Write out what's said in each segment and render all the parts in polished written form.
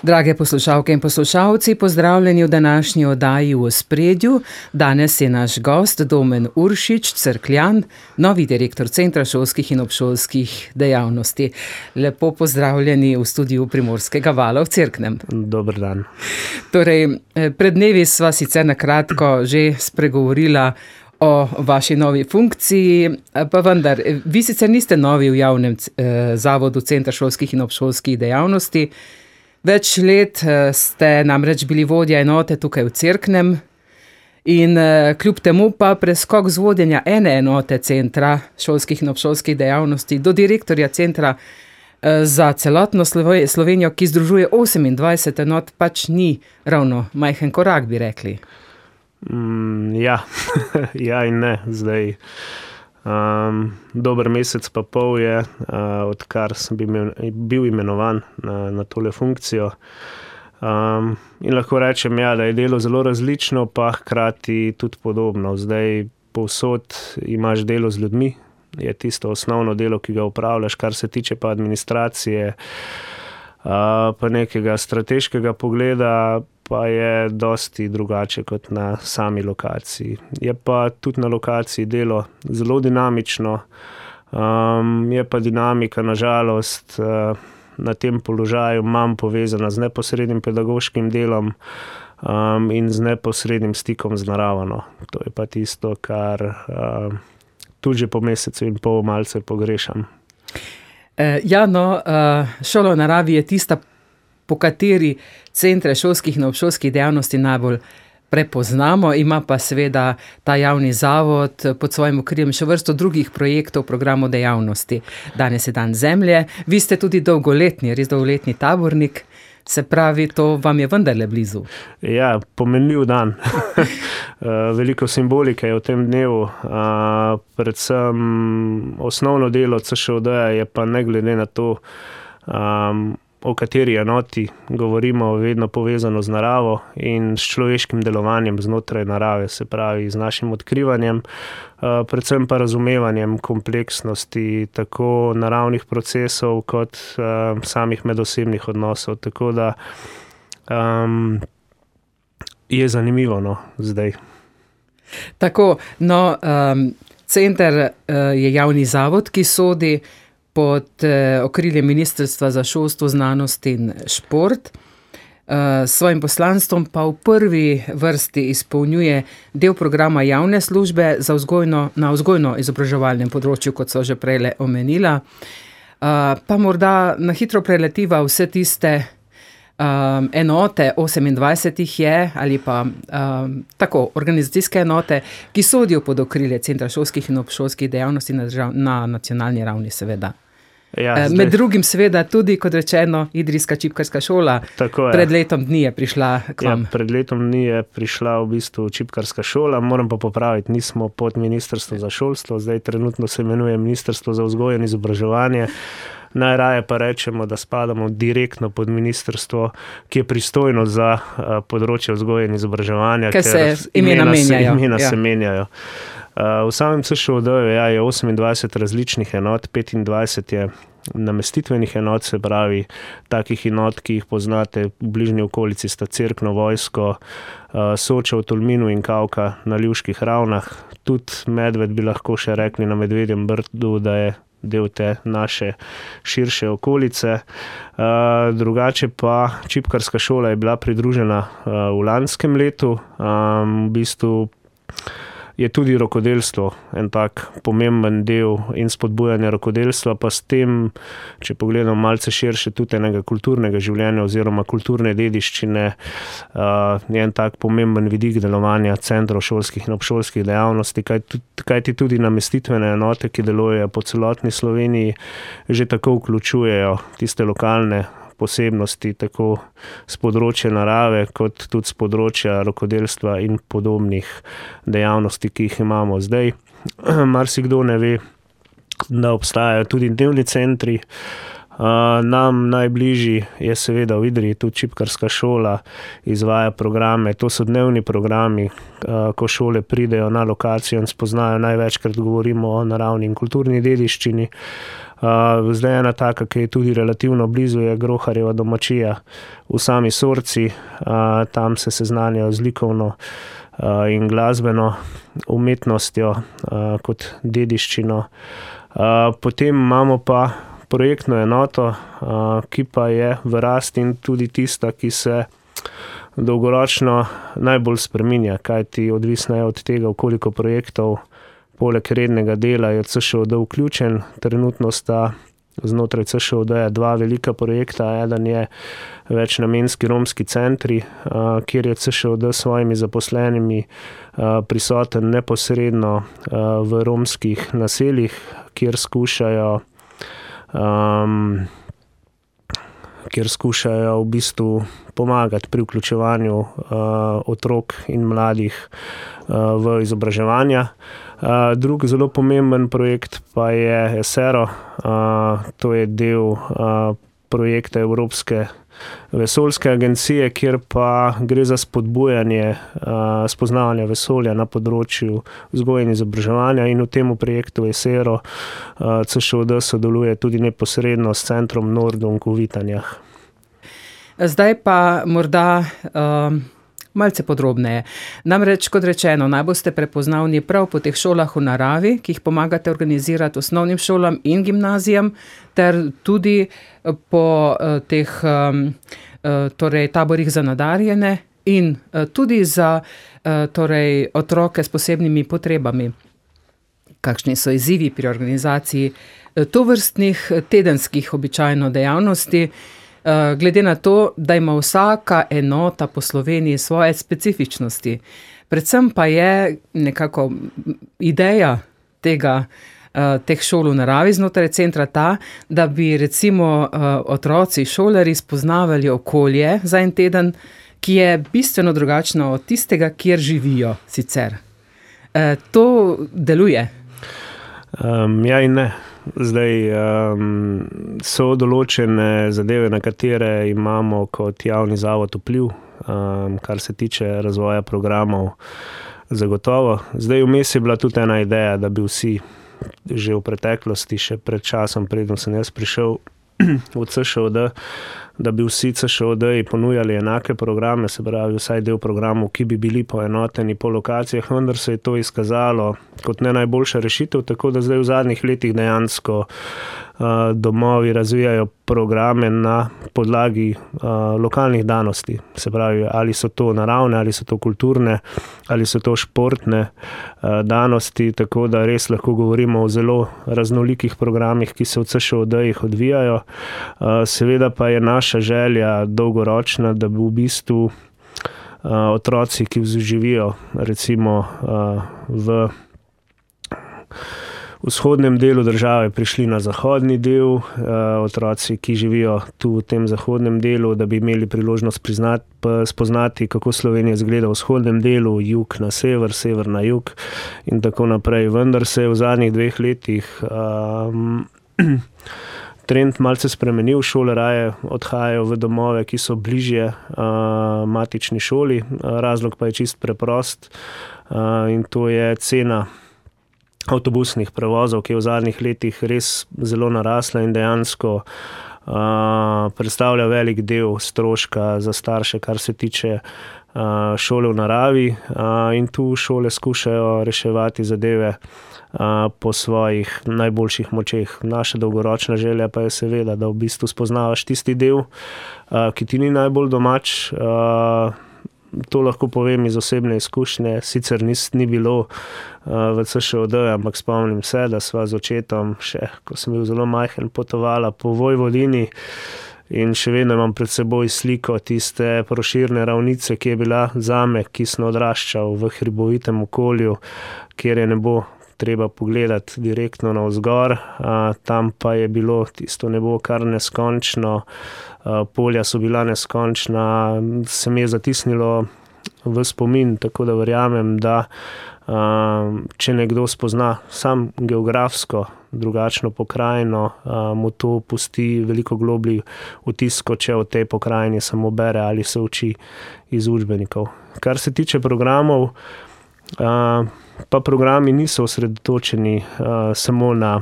Drage poslušalke in poslušalci, pozdravljeni v današnji oddaji V ospredju. Danes je naš gost Domen Uršič, Cerkljan, novi direktor Centra šolskih in obšolskih dejavnosti. Lepo pozdravljeni v studiu Primorskega vala v Cerknem. Dober dan. Torej, pred dnevi sva sicer na kratko že spregovorila o vaši novi funkciji, pa vendar, vi sicer niste novi v javnem zavodu Centra šolskih in obšolskih dejavnosti. Več let ste namreč bili vodja enote tukaj v Cerknem in kljub temu pa preskok z vodenja ene enote Centra šolskih in obšolskih dejavnosti do direktorja Centra za celotno Slovenijo, ki združuje 28 enot, pač ni ravno majhen korak, bi rekli. Ja, ja in ne, zdaj. Dober mesec pa pol je, odkar sem bil imenovan na tole funkcijo. In lahko rečem, ja, da je delo zelo različno, pa hkrati tudi podobno. Zdaj povsod imaš delo z ljudmi, je tisto osnovno delo, ki ga opravljaš, kar se tiče pa administracije, pa nekega strateškega pogleda, pa je dosti drugače kot na sami lokaciji. Je pa tudi na lokaciji delo zelo dinamično, je pa dinamika nažalost na tem položaju manj povezana z neposrednim pedagoškim delom in z neposrednim stikom z naravo. To je pa tisto, kar tudi že po mesecu in pol malce pogrešam. Ja, no, šola v naravi je tista, po kateri centre šolskih in obšolskih dejavnosti najbolj prepoznamo, ima pa seveda ta javni zavod pod svojim okriljem še vrsto drugih projektov, programov dejavnosti. Danes je dan zemlje, vi ste tudi res dolgoletni tabornik, se pravi, to vam je vendarle blizu. Ja, pomenljiv dan. Veliko simbolike je v tem dnevu, predvsem osnovno delo CŠOD-ja je pa ne glede na to, o kateri enoti govorimo, vedno povezano z naravo in s človeškim delovanjem znotraj narave, se pravi z našim odkrivanjem, predvsem pa razumevanjem kompleksnosti tako naravnih procesov kot samih medosebnih odnosov. Tako da je zanimivo zdaj. Tako, center je javni zavod, ki sodi pod okriljem Ministrstva za šolstvo, znanost in šport. S svojim poslanstvom pa v prvi vrsti izpolnjuje del programa javne službe na vzgojno-izobraževalnem področju, kot so že prej omenila. Pa morda na hitro preletiva vse tiste enote, 28 jih je, ali pa tako, organizacijske enote, ki sodijo pod okrilje Centra šolskih in obšolskih dejavnosti na nacionalni ravni, seveda. Ja, med drugim seveda tudi, kot rečeno, Idrijska čipkarska šola. Pred letom dni je prišla k vam. Ja, pred letom dni je prišla v bistvu čipkarska šola, moram pa popraviti, nismo pod Ministrstvo za šolstvo, zdaj trenutno se imenuje Ministrstvo za vzgojo in izobraževanje. Najraje pa rečemo, da spadamo direktno pod ministrstvo, ki je pristojno za področje vzgoje in izobraževanja, ker se imena se menjajo. V samem CŠOD-ju je 28 različnih enot, 25 je namestitvenih enot, se pravi takih enot, ki jih poznate v bližnji okolici, sta Cerkno, Vojsko, Soča v Tolminu in Kavka na Ljuških ravnah. Tudi Medved bi lahko še rekli na Medvedjem Brdu, da je del te naše širše okolice. Drugače pa čipkarska šola je bila pridružena v lanskem letu. V bistvu je tudi rokodelstvo en tak pomemben del in spodbujanje rokodelstva, pa s tem, če pogledam malce širše, tudi enega kulturnega življenja oziroma kulturne dediščine, je en tak pomemben vidik delovanja centrov šolskih in obšolskih dejavnosti, kajti tudi namestitvene enote, ki delujejo po celotni Sloveniji, že tako vključujejo tiste lokalne posebnosti, tako z področja narave, kot tudi z področja rokodelstva in podobnih dejavnosti, ki jih imamo zdaj. Marsikdo ne ve, da obstajajo tudi dnevni centri. Nam najbližji je seveda v Idriji, tudi čipkarska šola izvaja programe. To so dnevni programi, ko šole pridejo na lokacijo in spoznajo, največkrat govorimo o naravni in kulturni dediščini. Zdaj ena taka, ki je tudi relativno blizu, je Groharjeva domačija v sami Sorci. Tam se seznanjajo z likovno in glasbeno umetnostjo kot dediščino. Potem imamo pa projektno enoto, ki pa je v rasti in tudi tista, ki se dolgoročno najbolj spreminja, kajti odvisno je od tega, v koliko projektov poleg rednega dela je CŠOD vključen. Trenutno sta znotraj CŠOD-ja 2 velika projekta. Eden je večnamenski romski centri, kjer je CŠOD s svojimi zaposlenimi prisoten neposredno v romskih naseljih, kjer skušajo v bistvu pomagati pri vključevanju otrok in mladih v izobraževanja. Drug zelo pomemben projekt pa je ESERO. To je del projekta Evropske vesoljske agencije, kjer pa gre za spodbujanje spoznavanja vesolja na področju vzgoje in izobraževanja, in v tem projektu ESERO CŠOD sodeluje tudi neposredno s centrom Nordung v Vitanjah. Zdaj pa morda malce podrobneje. Namreč, kot rečeno, najbolj ste prepoznavni prav po teh šolah v naravi, ki jih pomagate organizirati osnovnim šolam in gimnazijam, ter tudi po teh taborih za nadarjene in tudi za otroke s posebnimi potrebami. Kakšni so izzivi pri organizaciji tovrstnih tedenskih običajno dejavnosti, glede na to, da ima vsaka enota po Sloveniji svoje specifičnosti. Predvsem pa je nekako ideja teh šol v naravi znotraj centra ta, da bi recimo otroci, šolarji spoznavali okolje za en teden, ki je bistveno drugačno od tistega, kjer živijo sicer. To deluje? Ja in ne. Zdaj so določene zadeve, na katere imamo kot javni zavod vpliv, kar se tiče razvoja programov, zagotovo. Zdaj vmes je bila tudi ena ideja, da bi vsi že v preteklosti, še pred časom, preden sem jaz prišel v CŠOD, da bi vsi CŠOD-ji ponujali enake programe, se pravi vsaj del programov, ki bi bili poenoteni po lokacijah, vendar se je to izkazalo kot ne najboljša rešitev, tako da zdaj v zadnjih letih dejansko domovi razvijajo programe na podlagi lokalnih danosti. Se pravi, ali so to naravne, ali so to kulturne, ali so to športne danosti, tako da res lahko govorimo o zelo raznolikih programih, ki se v CŠOD-jih odvijajo. Seveda pa je naša želja dolgoročna, da bi v bistvu otroci, ki živijo recimo v vzhodnem delu države, prišli na zahodni del, otroci, ki živijo tu v tem zahodnem delu, da bi imeli priložnost spoznati, kako Slovenija izgleda v vzhodnem delu, jug na sever, sever na jug in tako naprej. Vendar se je v zadnjih 2 letih trend malce spremenil, šole raje odhajajo v domove, ki so bližje matični šoli. Razlog pa je čist preprost in to je cena avtobusnih prevozov, ki je v zadnjih letih res zelo narasla in dejansko predstavlja velik del stroška za starše, kar se tiče šole v naravi, in tu šole skušajo reševati zadeve po svojih najboljših močeh. Naša dolgoročna želja pa je seveda, da v bistvu spoznavaš tisti del, ki ti ni najbolj domač. To lahko povem iz osebne izkušnje, sicer ni bilo v CŠOD, ampak spomnim se, da sva z očetom še, ko sem bil zelo majhen, potovala po Vojvodini in še vedno imam pred seboj sliko tiste Proširne ravnice, ki je bila zame, ki sem odraščal v hribovitem okolju, kjer je nebo treba pogledati direktno navzgor, tam pa je bilo tisto nebo kar neskončno, polja so bila neskončna, se mi je zatisnilo v spomin, tako da verjamem, da če nekdo spozna sam geografsko drugačno pokrajino, mu to pusti veliko globlji vtis, kot če o tej pokrajini samo bere ali se uči iz učbenikov. Kar se tiče programov, pa programi niso osredotočeni samo na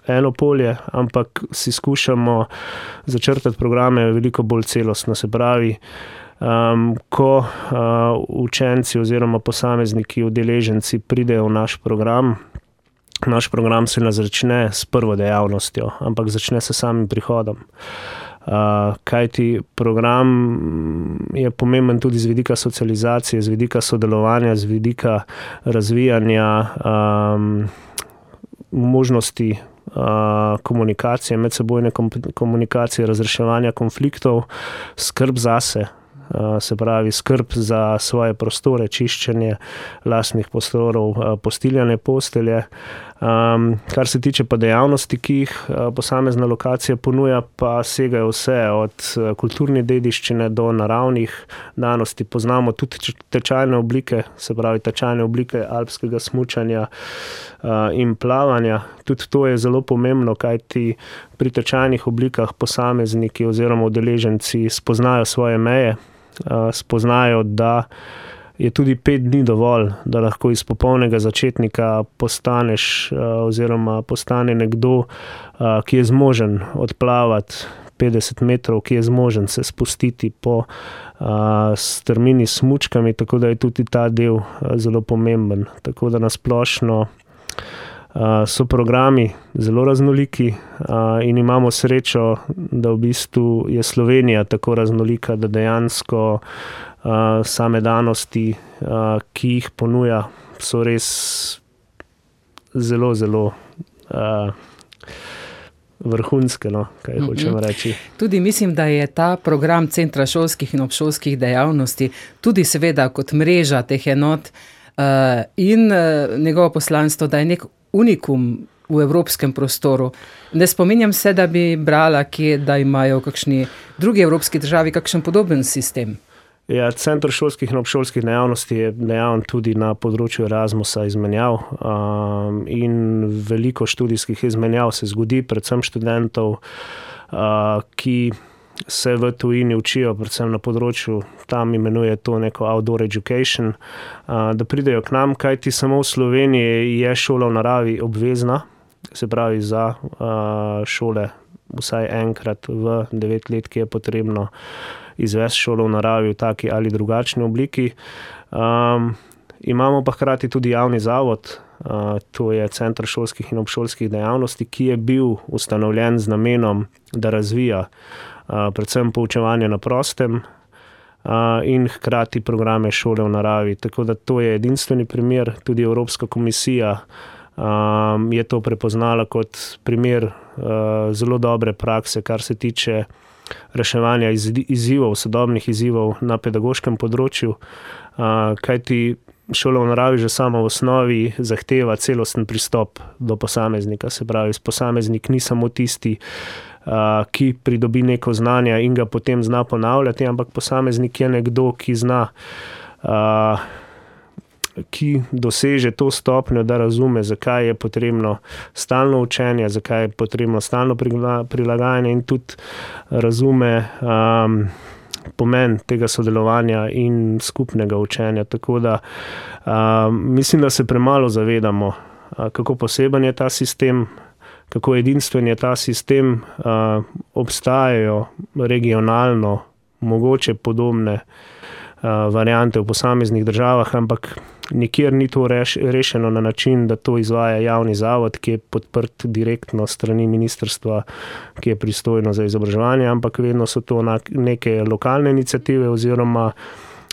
eno polje, ampak si skušamo začrtati programe veliko bolj celostno. Se pravi, ko učenci oziroma posamezniki, udeleženci pridejo v naš program se ne začne s prvo dejavnostjo, ampak začne se samim prihodom. Kajti program je pomemben tudi z vidika socializacije, z vidika sodelovanja, z vidika razvijanja možnosti komunikacije, medsebojne komunikacije, razreševanja konfliktov, skrb zase. Se pravi, skrb za svoje prostore, čiščenje lastnih prostorov, postiljane postelje. Kar se tiče pa dejavnosti, ki jih posamezna lokacija ponuja, pa segajo vse od kulturne dediščine do naravnih danosti. Poznamo tudi tečajne oblike, se pravi tečajne oblike alpskega smučanja in plavanja. Tudi to je zelo pomembno, kajti pri tečajnih oblikah posamezniki oziroma udeleženci spoznajo svoje meje, spoznajo, da je tudi 5 dni dovolj, da lahko iz popolnega začetnika postaneš oziroma postane nekdo, ki je zmožen odplavati 50 metrov, ki je zmožen se spustiti po strmini s smučkami, tako da je tudi ta del zelo pomemben. Tako da nasplošno so programi zelo raznoliki in imamo srečo, da v bistvu je Slovenija tako raznolika, da dejansko same danosti, ki jih ponuja, so res zelo, zelo vrhunske, no, kaj hočem reči. Tudi mislim, da je ta program Centra šolskih in obšolskih dejavnosti tudi seveda kot mreža teh enot in njegovo poslanstvo, da je nek unikum v evropskem prostoru. Ne spominjam se, da bi brala, da imajo v kakšni drugi evropski državi kakšen podoben sistem. Ja, Center šolskih in obšolskih dejavnosti je dejaven tudi na področju Erasmusa izmenjav in veliko študijskih izmenjav se zgodi, predvsem študentov, ki se v tujini učijo, predvsem na področju, tam imenuje to neko outdoor education, da pridejo k nam, kajti samo v Sloveniji je šola v naravi obvezna, se pravi za šole vsaj enkrat v 9 let, ki je potrebno izvesti šolo v naravi v taki ali drugačni obliki. Imamo pa hkrati tudi javni zavod, to je Center šolskih in obšolskih dejavnosti, ki je bil ustanovljen z namenom, da razvija predvsem poučevanje na prostem in hkrati programe šole v naravi. Tako da to je edinstveni primer, tudi Evropska komisija je to prepoznala kot primer zelo dobre prakse, kar se tiče reševanja izzivov, sodobnih izzivov na pedagoškem področju, kajti šola v naravi že sama v osnovi zahteva celosten pristop do posameznika. Se pravi, posameznik ni samo tisti, ki pridobi neko znanje in ga potem zna ponavljati, ampak posameznik je nekdo, ki zna, ki doseže to stopnjo, da razume, zakaj je potrebno stalno učenje, zakaj je potrebno stalno prilagajanje in tudi razume pomen tega sodelovanja in skupnega učenja. Tako da mislim, da se premalo zavedamo, kako poseben je ta sistem, kako edinstven je ta sistem. Obstajajo regionalno mogoče podobne variante v posameznih državah, ampak nikjer ni to rešeno na način, da to izvaja javni zavod, ki je podprt direktno strani ministrstva, ki je pristojno za izobraževanje, ampak vedno so to neke lokalne iniciative oziroma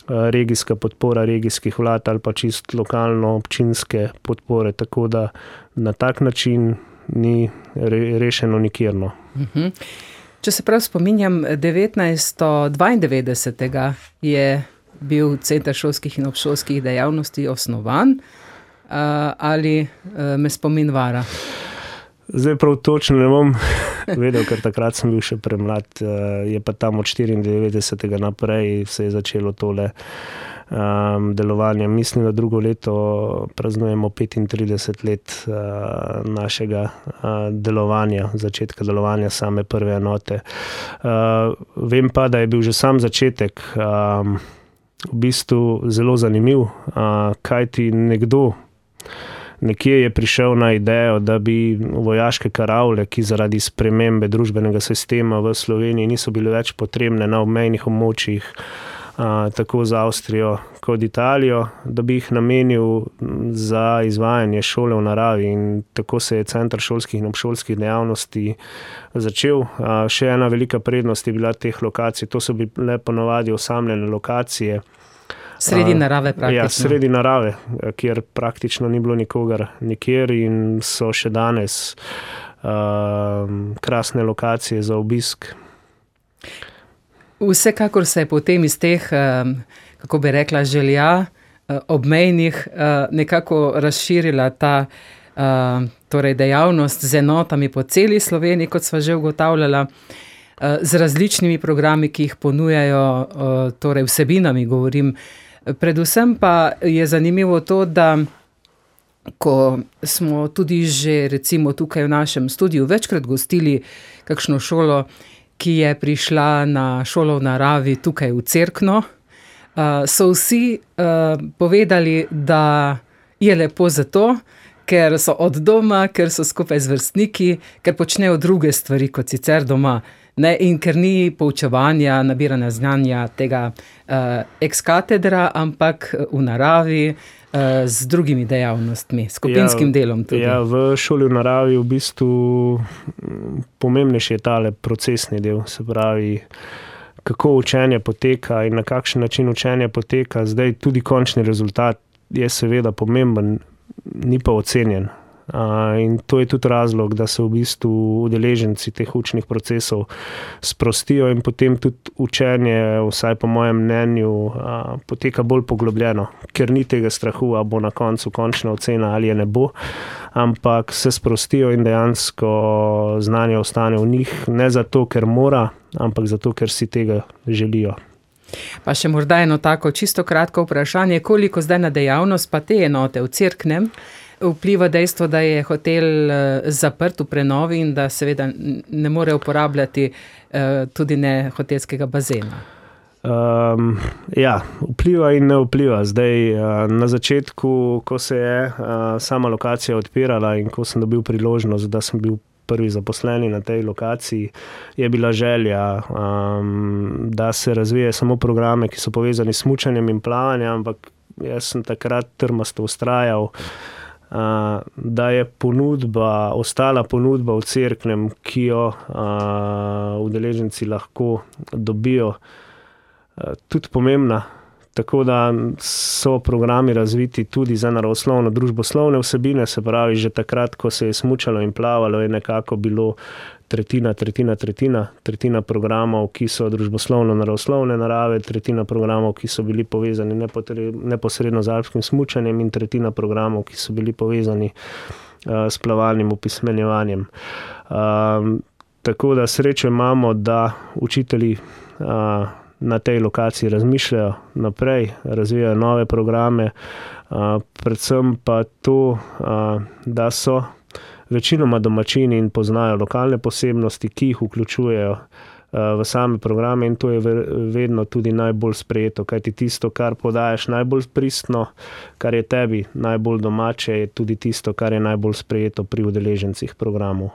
regijska podpora regijskih vlad ali pa čist lokalno občinske podpore, tako da na tak način ni rešeno nikjerno. Če se prav spominjam, 1992. je bil Center šolskih in obšolskih dejavnosti osnovan, ali me spomin vara? Zdaj prav točno ne bom vedel, ker takrat sem bil še premlad, je pa tam od 94. naprej se je začelo tole delovanje. Mislim, da drugo leto praznujemo 35 let našega delovanja, začetka delovanja same prve enote. Vem pa, da je bil že sam začetek v bistvu zelo zanimiv, kajti nekdo nekje je prišel na idejo, da bi vojaške karavle, ki zaradi spremembe družbenega sistema v Sloveniji niso bile več potrebne na obmejnih območjih, tako za Avstrijo kot Italijo, da bi jih namenil za izvajanje šole v naravi, in tako se je Center šolskih in obšolskih dejavnosti začel. Še ena velika prednost je bila teh lokacij, to so bile ponovadi osamljene lokacije. Sredi narave praktično. Ja, sredi narave, kjer praktično ni bilo nikogar nikjer in so še danes krasne lokacije za obisk. Vsekakor se je potem iz teh, kako bi rekla, želja obmejnih nekako razširila ta torej dejavnost z enotami po celi Sloveniji, kot sva že ugotavljala, z različnimi programi, ki jih ponujajo, torej vsebinami govorim. Predvsem pa je zanimivo to, da ko smo tudi že recimo tukaj v našem studiu večkrat gostili kakšno šolo, ki je prišla na šolo v naravi tukaj v Cerkno, so vsi povedali, da je lepo zato, ker so od doma, ker so skupaj z vrstniki, ker počnejo druge stvari kot sicer doma, ne, in ker ni poučevanja, nabiranja znanja tega ex katedra, ampak v naravi, z drugimi dejavnostmi, skupinskim delom tudi. Ja, v šoli v naravi v bistvu pomembnejši je tale procesni del, se pravi, kako učenje poteka in na kakšen način učenje poteka. Zdaj tudi končni rezultat je seveda pomemben, ni pa ocenjen. In to je tudi razlog, da se v bistvu udeleženci teh učnih procesov sprostijo in potem tudi učenje, vsaj po mojem mnenju, poteka bolj poglobljeno, ker ni tega strahu, a bo na koncu končna ocena ali je ne bo, ampak se sprostijo in dejansko znanje ostane v njih, ne zato, ker mora, ampak zato, ker si tega želijo. Pa še morda eno tako čisto kratko vprašanje, koliko zdaj na dejavnost pa te enote v Cerknem vpliva dejstvo, da je hotel zaprt v prenovi in da seveda ne more uporabljati tudi ne hotelskega bazena? Ja, vpliva in ne vpliva. Zdaj, na začetku, ko se je sama lokacija odpirala in ko sem dobil priložnost, da sem bil prvi zaposleni na tej lokaciji, je bila želja, da se razvije samo programe, ki so povezani s smučanjem in plavanjem, ampak jaz sem takrat trmasto vztrajal, da je ostala ponudba v Cerknem, ki jo udeleženci lahko dobijo, tudi pomembna. Tako da so programi razviti tudi za naravoslovno družboslovne vsebine, se pravi, že takrat, ko se je smučalo in plavalo, je nekako bilo tretjina programov, ki so družboslovno-naravoslovne narave, tretjina programov, ki so bili povezani neposredno z alpskim smučanjem in tretjina programov, ki so bili povezani s plavalnim opismenjevanjem. Tako da srečo imamo, da učitelji na tej lokaciji razmišljajo naprej, razvijajo nove programe, predvsem pa to, da so večinoma domačini in poznajo lokalne posebnosti, ki jih vključujejo v same programe, in to je vedno tudi najbolj sprejeto, kajti tisto, kar podajaš najbolj pristno, kar je tebi najbolj domače, je tudi tisto, kar je najbolj sprejeto pri udeležencih programov.